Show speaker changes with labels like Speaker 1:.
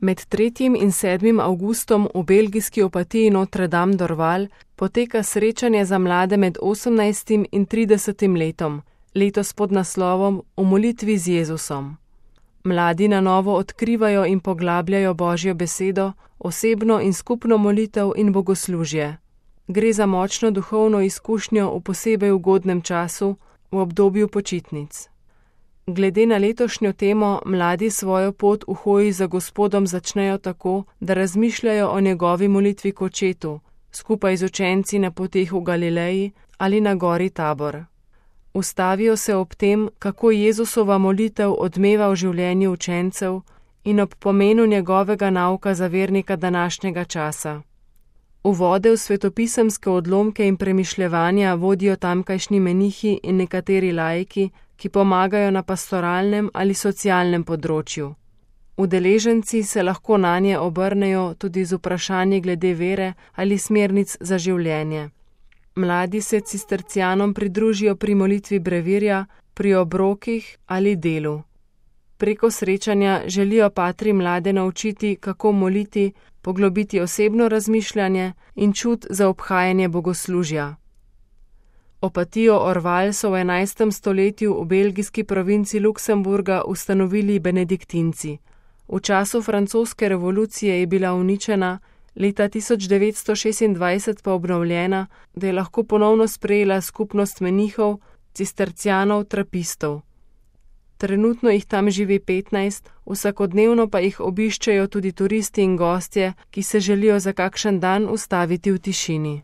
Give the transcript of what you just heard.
Speaker 1: Med 3. in 7. avgustom v belgijski Opatiji Notre Dame d'Orval poteka srečanje za mlade med 18. in 30. letom, letos pod naslovom V molitvi z Jezusom. Mladi na novo odkrivajo in poglabljajo Božjo besedo, osebno in skupno molitev in bogoslužje. Gre za močno duhovno izkušnjo v posebej ugodnem času, v obdobju počitnic. Glede na letošnjo temo, mladi svojo pot v hoji za Gospodom začnejo tako, da razmišljajo o njegovi molitvi k očetu, skupaj z učenci na poteh v Galileji ali na gori Tabor. Ustavijo se ob tem, kako Jezusova molitev odmeva v življenju učencev in ob pomenu njegovega nauka za vernika današnjega časa. Uvode v svetopisemske odlomke in premišljevanja vodijo tamkajšnji menihi in nekateri laiki, ki pomagajo na pastoralnem ali socialnem področju. Udeleženci se lahko nanje obrnejo tudi z vprašanji glede vere ali smernic za življenje. Mladi se cistercijanom pridružijo pri molitvi brevirja, pri obrokih ali delu. Preko srečanja želijo patri mlade naučiti, kako moliti, poglobiti osebno razmišljanje in čut za obhajanje bogoslužja. Opatijo Orval so v 11. stoletju v belgijski provinci Luksemburga ustanovili benediktinci. V času francoske revolucije je bila uničena, leta 1926 pa obnovljena, da je lahko ponovno sprejela skupnost menihov, cistercijanov, trapistov. Trenutno jih tam živi 15, vsakodnevno pa jih obiščejo tudi turisti in gostje, ki se želijo za kakšen dan ustaviti v tišini.